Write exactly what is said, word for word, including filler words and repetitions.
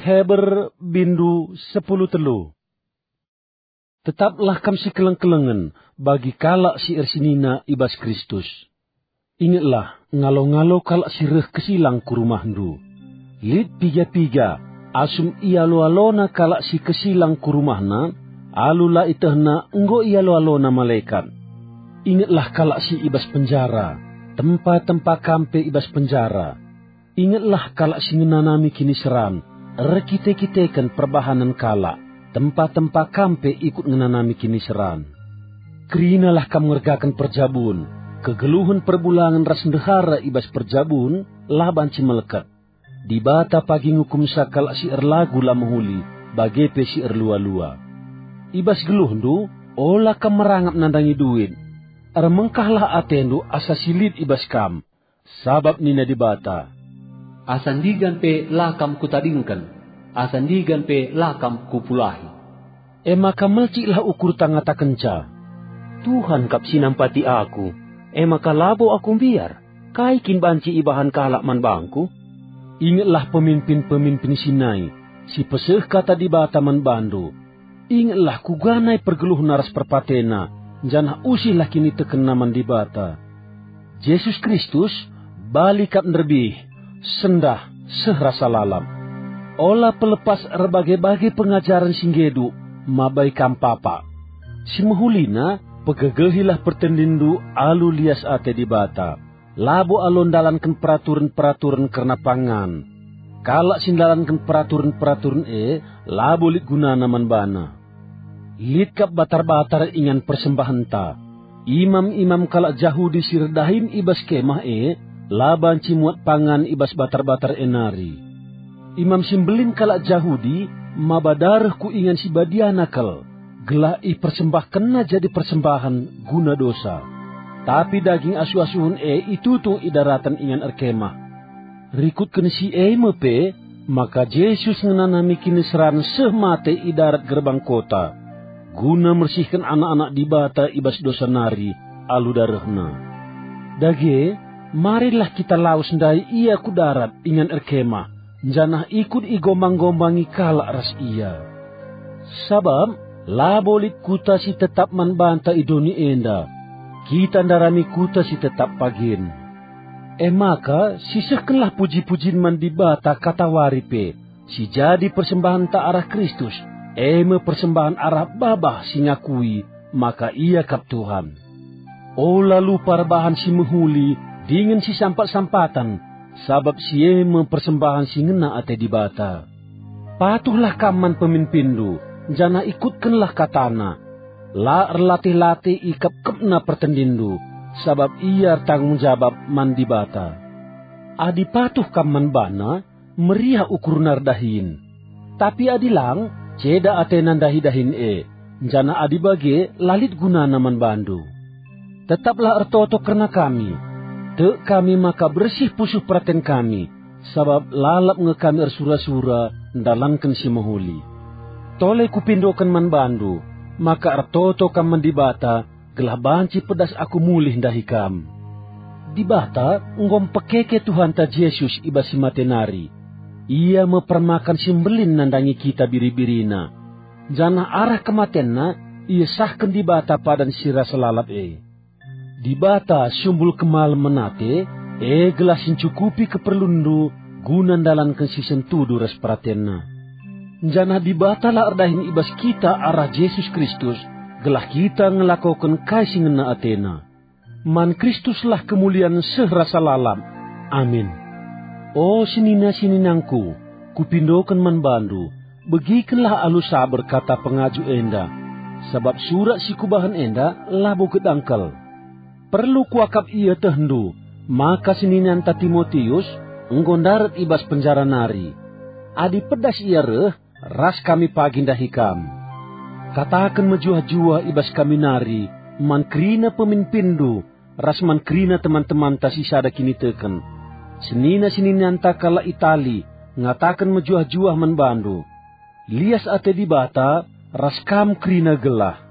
Heber bindu sepuluh telu. Tetaplah kam sikeleng-kelengen bagi kalak si ersinina i bas Kristus. Ingetlah, ngalo-ngalo kalak si reh kesilang ku rumahndu. Lit piga-piga, asum ialo-alona kalak si kesilang ku rumahna, alu la itehna enggo ialo-alona malekat. Ingetlah kalak si i bas penjara, tempa-tempa kam pe i bas penjara. Ingetlah kalak si ngenanami kiniseran, erkite-kiteken perbahanen kalak, tempa-tempa kam pe ikut ngenanami kiniseran. Kerinalah kam ngergaken perjabun, kegeluhen perbulangen ras ndehara i bas perjabun la banci melket. Dibata pagi ngukumsa kalak si erlagu la mehuli, bage pe si erlua-lua. I bas geluhndu, ola kam merangap nandangi duit. Ermengkahlah atendu asa si lit i bas kam, sabap nina Dibata, "Asa ndigan pe la kam kutadingken, asa ndigan pe la kam kupulahi." E maka melciklah ukurta ngatakenca, "Tuhan kap si nampati aku, e maka labo aku mbiar. Kai kin banci ibahan kalak man bangku?" Ingetlah peminpin-peminpin si nai, si peseh kata Dibata man bandu. Ingetlah kuga nai pergeluhna ras perpatena, janah usihlah kinitekenna man Dibata. Jesus Kristus, bali kap nderbih, sendah, seh rasa lalap. Ola pelepas erbage-bage pengajaren si nggedu, mabai kam papa. Si mehulina, pegegehilah pertendinndu alu lias ate Dibata. Labo alu ndalanken peraturen-peraturen kerna pangan. Kalak si ndalanken peraturen-peraturen e labo lit gunana man bana. Lit kap batar-batar ingan persembahenta. Imam-imam kalak Jahudi si erdahin i bas kemah e la banci muat pangan i bas batar-batar e nari. Imam si Mbelin kalak Jahudi maba dareh ku ingan si badiana kal, gelah ipersembahkenna jadi persembahen guna dosa. Tapi daging asuh-asuhen e itutung i daraten ingan erkemah. Rikutken si e me pe, maka Jesus ngenanami kiniseran seh mate i darat gerbang kota, guna mersihken anak-anak Dibata i bas dosa nari alu darehNa. Dage, marilah kita lawes ndai IA ku darat ingan erkemah, janah ikut igombang-gombangi kalak ras IA. Sabap labo lit kuta si tetap man banta i doni enda. Kita ndarami kuta si tetap pagin. E maka, sisehkenlah puji-pujin man Dibata katawari pe, si jadi persembahenta arah Kristus, e me persembahen arah babah si ngakui maka IA kap Tuhan. Ola lupa erbahan si mehuli dingen si sampat-sampaten, sabap si e me persembahen si ngena ate Dibata. Patuhlah kam man peminpinndu, janah ikutkenlah katana. La erlatih-latih ikepkepna pertendinndu, sabap ia ertanggung jabap man Dibata. Adi patuh kam man bana, meriah ukurna erdahin. Tapi adi lang, ceda atena ndahi dahin e, janah adi bage la lit gunana man bandu. Tetaplah ertoto kerna kami. Tek kami maka bersih pusuh peraten kami, sabap lalap nge kami ersura-sura ndalanken si mehuli. Tole kupindoken man bandu, maka ertoto kam man Dibata, gelah banci pedas aku mulih ndahi kam. Dibata enggo mpekeke Tuhanta Jesus i bas si mate nari. Ia me permakan si mbelin nandangi kita biri-birina, janah arah kematenNa iesahken Dibata padan si rasa lalap e. Dibata sumbul kemalemen ate, e gelah si ncukupi keperlunndu guna ndalanken si sentudu ras peratenNa. Janah Dibata la erdahin i bas kita arah Jesus Kristus, gelah kita ngelakoken kai si ngena ateNa. Man Kristuslah kemulian seh rasa lalap. Amin. O senina-seninangku, kupindoken man bandu, begikenlah alu saber kata pengaju enda, sabap surat si kubahan enda labo gedangkel. Perlu kuakap ietehndu, maka seninanta Timotius enggo ndarat i bas penjara nari. Adi pedas ia reh, ras kami pagi ndahi kam. Kataken mejuah-juah i bas kami nari man kerina peminpinndu ras man kerina teman-temanta si sada kiniteken. Senina-seninanta kalak Itali ngataken mejuah-juah man bandu. Lias ate Dibata ras kam kerina gelah.